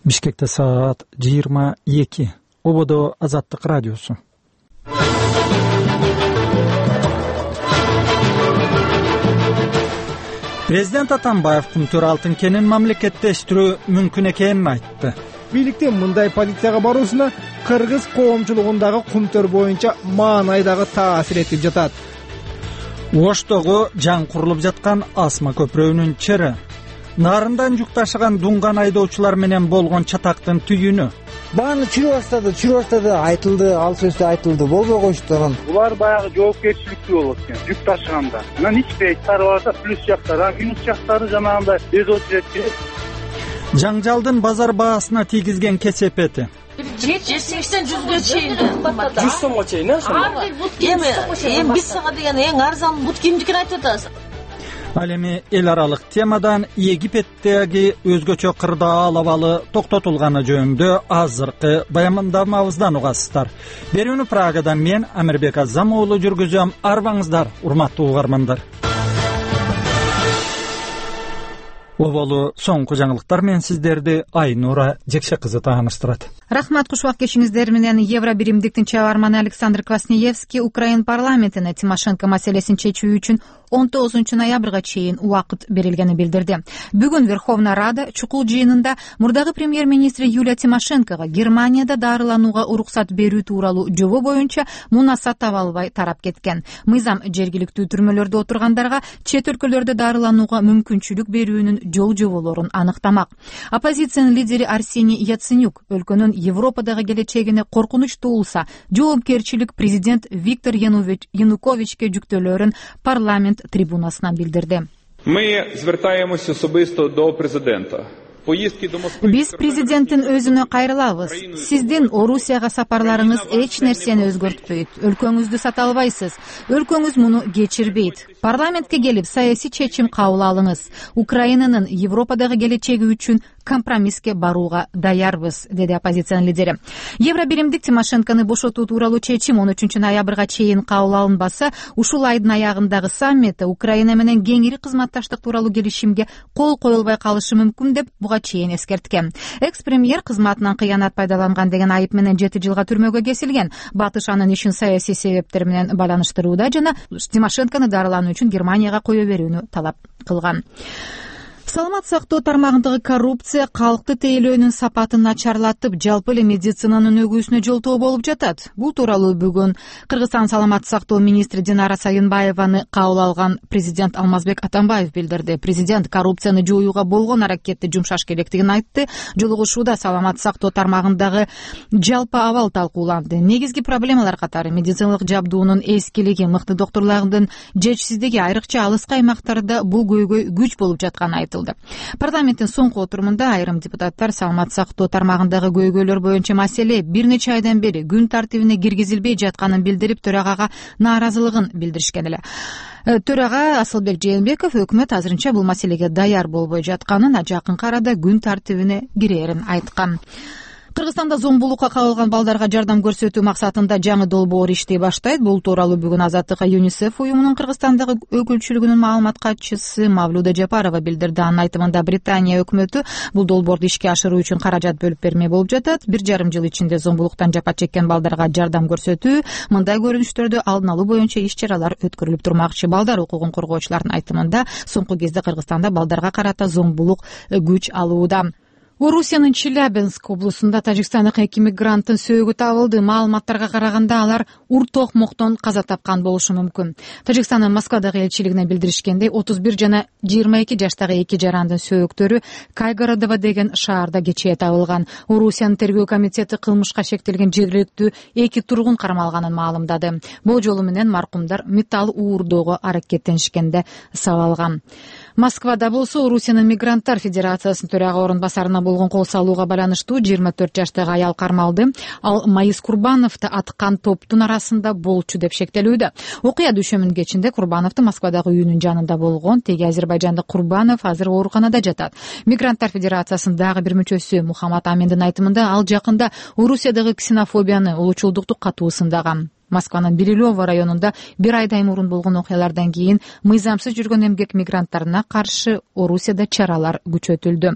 Бишкекте саат 22. Ободо Азаттык радиосу. Президент Атамбаев Кумтөр алтын кенин мамлекеттештирүү мүмкүн экенин айтты. Бийликтин мындай позицияга баруусуна кыргыз коомчулугундагы Кумтөр боюнча маанайдагы таасир этип жатат. Оштогу жаңы курулуп жаткан Асма көпүрөгүнүн чыры, нарындан жүк ташыган дунган айдоочулар менен болгон чатактын түйүнү. Бааны чүрүп баштады, айтылды, ал сөздө айтылды, болбой коюшту анан. Булар баягы жоопкерчиликтүү болот экен, жүк ташыганда. Анан ичпей тарбаса плюс жактары, минус жактары жанагындай безочерет. Жаңжалдын базар баасына тийгизген кесепети. 70-80 жүзгө чейин. 100 сомго чейин, эми биз сага деген эң арзан бут кимдикин айтып атабыз. Ал эми эл аралык темадан Египеттеги өзгөчө кырдаал абалы токтотулганы жөнүндө азыркы баяндамабыздан угасыздар. Берүүнү Прагадан мен Амирбек Азам уулу жүргүзөм. Арбаңыздар, урматтуу угармандар. Оболу соңку жаңылыктар менен сиздерди Айнура Жекше кызы тааныштырат. Рахмат, кушубак кешиңиздер менен. Евро биримдиктин чыгарманы Александр Квасневский Украин парламентине Тимошенко маселесин чечүү үчүн 19 ноябрга чейин убакыт берилгени билдирди. Бүгүн Верховная Рада чукул жыйынында мурдагы премьер-министри Юлия Тимошенкого Германияда дарыланууга уруксат берүү тууралуу жобо боюнча мунасат таба албай тарап кеткен. Мыйзам жергиликтүү түрмөлөрдө отургандарга чет өлкөлөрдө дарыланууга мүмкүнчүлүк берүүнүн жол жоболорун аныктамак. Оппозициянын лидери Арсений Яценюк өлкөнүн Европадагы келечегине коркунуч туулса, жоопкерчилик президент Виктор Януковичке жүктөлөрүн парламент трибунасынан билдирди. Ми звертаємося особисто до президента. Биз президенттин өзүнө кайрылабыз. Сиздин Орусияга сапарларыңыз эч нерсени өзгөртпөйт. Өлкөңүздү сата албайсыз. Өлкөңүз муну кечирбейт. Парламентке келип саясий чечим кабыл алыңыз. Украинанын Европадагы келечеги үчүн компромисске барууга даярбыз, деди оппозициянын лидери. Евро биримдик Тимошенкону бошотуу тууралуу чечим 13 ноябрга чейин кабыл алынбаса, ушул айдын аягындагы саммитте Украина менен кеңири кызматташтык тууралуу келишимге кол коюлбай калышы мүмкүн деп буга чейин эскерткен. Экс-премьер кызматынан кыянат пайдаланган деген айып менен 7 жылга түрмөгө кесилген. Батыш анын ишин саясий себептер менен байланыштырууда жана Тимошенкону дарылануу үчүн Германияга кое берүүнү талап кылган. Саламат сактоо тармагындагы коррупция калкты тейлөөнүн сапатын начарлатып, жалпы эле медицинанын өгүүсүнө жолтоо болуп жатат. Бул тууралуу бүгүн Кыргызстан саламат сактоо министри Динара Саинбаеваны кабыл алган президент Алмазбек Атамбаев билдирди. Президент коррупцияны жоюуга болгон аракетти жумшаш керектигин айтты. Жолугушууда саламат сактоо тармагындагы жалпы абал талкууланды. Негизги проблемалар катары медициналык жабдуунун эскилиги, мыкты докторлордун жетишсиздиги, айрыкча алыскы аймактарда бул көйгөй күч болуп жатканы айтылды. Парламенттин соңку отурумунда айрым депутаттар саламат сактоо тармагындагы көйгөйлөр боюнча маселе бир нече айдан бери күн тартибине киргизилбей жатканын билдирип, төрагага нааразылыгын билдиришкен эле. Төрага Асылбек Жээнбеков өкмөт азырынча бул маселеге даяр болбой жатканын, жакынкы арада күн тартибине кирерин айткан. Кыргызстанда зомбулукка кабылган балдарга жардам көрсөтүү максатында жаңы долбоор иштей баштайт. Бул тууралуу бүгүн Азаттыкка ЮНИСЕФ уюмунун Кыргызстандагы өкүлчүлүгүнүн маалымат катчысы Мавлуда Жапарова билдирди. Анын айтымында Британия өкмөтү бул долбоорду ишке ашыруу үчүн каражат бөлүп бермек болуп жатат. 1,5 жыл ичинде зомбулуктан жапа чеккен балдарга жардам көрсөтүү, мындай көрүнүштөрдү алдын алуу боюнча иш-чаралар өткөрүлүп турмакчы. Балдар укугун коргоочулардын айтымында соңку кезде Кыргызстанда балдарга карата зомбулук күч алууда. Орусиянын Челябинск облусунда тажикстандык 2 мигранттын сөөгү табылды. Маалыматтарга караганда алар ур-токмоктон каза тапкан болушу мүмкүн. Тажикстандын Москвадагы элчилигине билдиришкендей, 31 жана 22 жаштагы 2 жарандын сөөктөрү Кайгородово деген шаарда кечээ табылган. Орусиянын тергөө комитети кылмышка шектелген жергиликтүү 2 тургун кармалганын маалымдады. Бул жолу менен маркумдар металл уурдоого аракеттенишкенде сабалган. Москвада болсо Орусиянын Мигранттар Федерациясынын төрага орун басарына болгон кол салууга байланыштуу 24 жаштагы аял кармалды. Ал Майыс Курбановду аткан топтун арасында болчу деп шектелүүдө. Окуя дүйшөмүн кечинде Курбановдун Москвадагы үйүнүн жанында болгон. Теги азербайжандык Курбанов азыр ооруканада жатат. Мигранттар Федерациясынын дагы бир мүчөсү Мухаммад Аминдин айтымында ал жакында Орусиядагы ксенофобияны, улучулдукту катуу сындаган. Москванын Белилево районунда 1 айдай мурун болгон окуялардан кийин мыйзамсыз жүргөн эмгек мигранттарына каршы Орусияда чаралар күчөтүлдү.